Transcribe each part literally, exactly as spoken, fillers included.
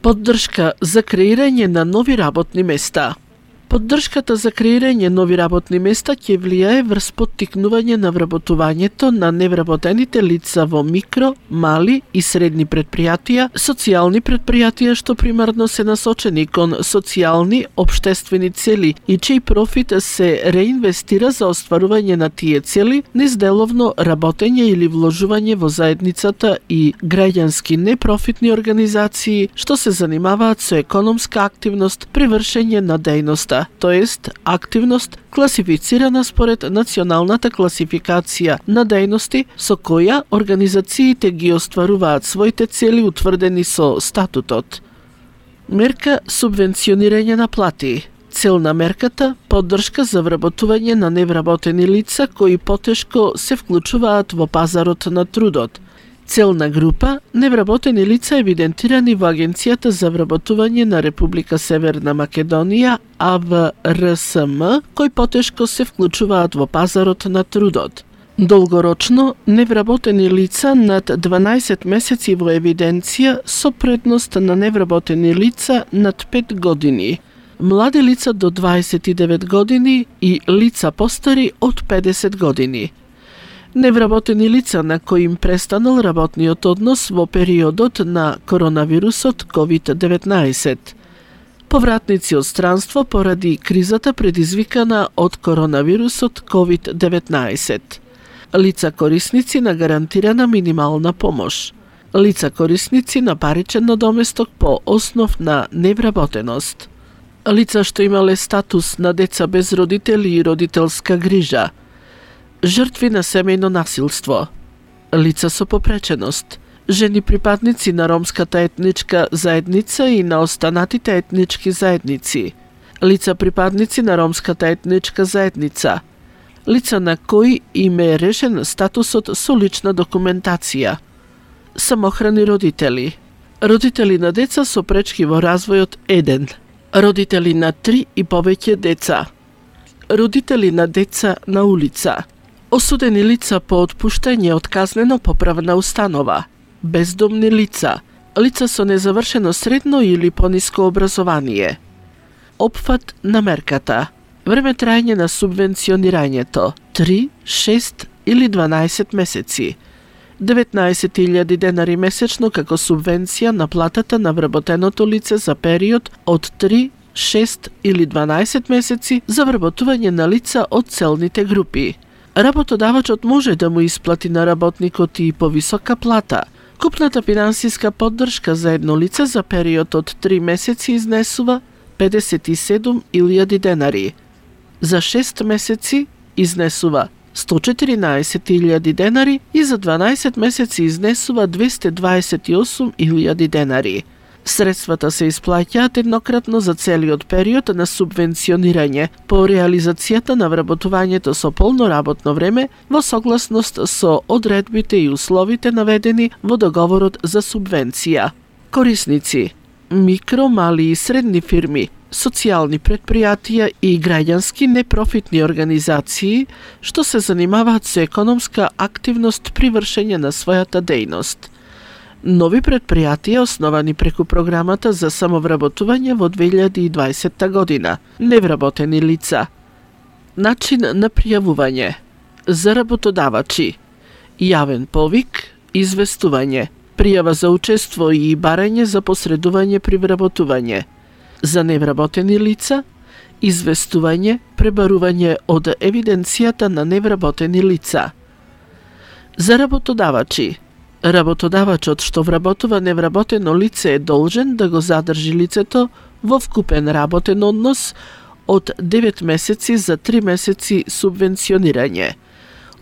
Поддршка за креирање на нови работни места. Поддршката за креирање нови работни места ќе влијае врз поттикнување на вработувањето на невработените лица во микро, мали и средни предпријатија, социјални предпријатија што примарно се насочени кон социјални, општествени цели и чиј профит се реинвестира за остварување на тие цели низ деловно работење или вложување во заедницата и граѓански непрофитни организации што се занимаваат со економска активност при вршење на дејноста, тоест активност класифицирана според националната класификација на дејности со која организациите ги остваруваат своите цели утврдени со статутот. Мерка субвенционирање на плати. Цел на мерката – поддршка за вработување на невработени лица кои потешко се вклучуваат во пазарот на трудот. Целна група – невработени лица евидентирани во Агенцијата за вработување на Република Северна Македонија А В Р С М, кои потешко се вклучуваат во пазарот на трудот. Долгорочно, невработени лица над дванаесет месеци во евиденција со предност на невработени лица над пет години, млади лица до дваесет и девет години и лица постари од педесет години. Невработени лица на кои им престанал работниот однос во периодот на коронавирусот ковид деветнаесет. Повратници од странство поради кризата предизвикана од коронавирусот ковид деветнаесет. Лица корисници на гарантирана минимална помош. Лица корисници на паричен надоместок по основ на невработеност. Лица што имале статус на деца без родители и родителска грижа. Жртви на семејно насилство, лица со попреченост, жени припадници на ромската етничка заедница и на останатите етнички заедници, лица припадници на ромската етничка заедница, лица на кои им е решен статусот со лична документација, самохрани родители, родители на деца со пречки во развојот еден, родители на три и повеќе деца, родители на деца на улица, осудени лица по отпуштање од казнено поправна установа, бездомни лица, лица со незавршено средно или пониско образование. Опфат на мерката. Време трајање на субвенционирањето три, шест или дванаесет месеци. деветнаесет илјади денари месечно како субвенција на платата на вработеното лице за период од три, шест или дванаесет месеци за вработување на лица од целните групи. Работодавачот може да му исплати на работникот и повисока плата. Купната финансиска поддршка за едно лице за период од три месеци изнесува педесет и седум илјади денари. За шест месеци изнесува сто четиринаесет илјади денари и за дванаесет месеци изнесува двесте дваесет и осум илјади денари. Средствата се исплаќаат еднократно за целиот период на субвенционирање по реализацијата на вработувањето со полно работно време во согласност со одредбите и условите наведени во договорот за субвенција. Корисници: микро, мали и средни фирми, социјални предпријатија и граѓански непрофитни организации што се занимаваат со економска активност при вршење на својата дејност. Нови предпријатија основани преку програмата за самовработување во две илјади и дваесетта година. Невработени лица. Начин на пријавување. За работодавачи: јавен повик, известување, пријава за учество и барање за посредување при вработување. За невработени лица: известување, пребарување од евиденцијата на невработени лица. За работодавачи: работодавачот што вработува невработено лице е должен да го задржи лицето во вкупен работен однос од девет месеци за три месеци субвенционирање,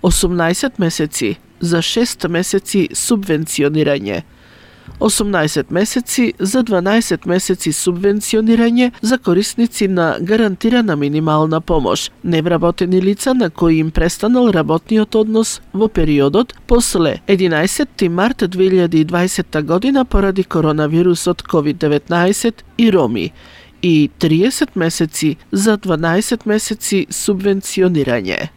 осумнаесет месеци за шест месеци субвенционирање, осумнаесет месеци за дванаесет месеци субвенционирање за корисници на гарантирана минимална помош, невработени лица на кои им престанал работниот однос во периодот после единаесетти март две илјади и дваесетта година поради коронавирусот ковид деветнаесет и роми, и триесет месеци за дванаесет месеци субвенционирање.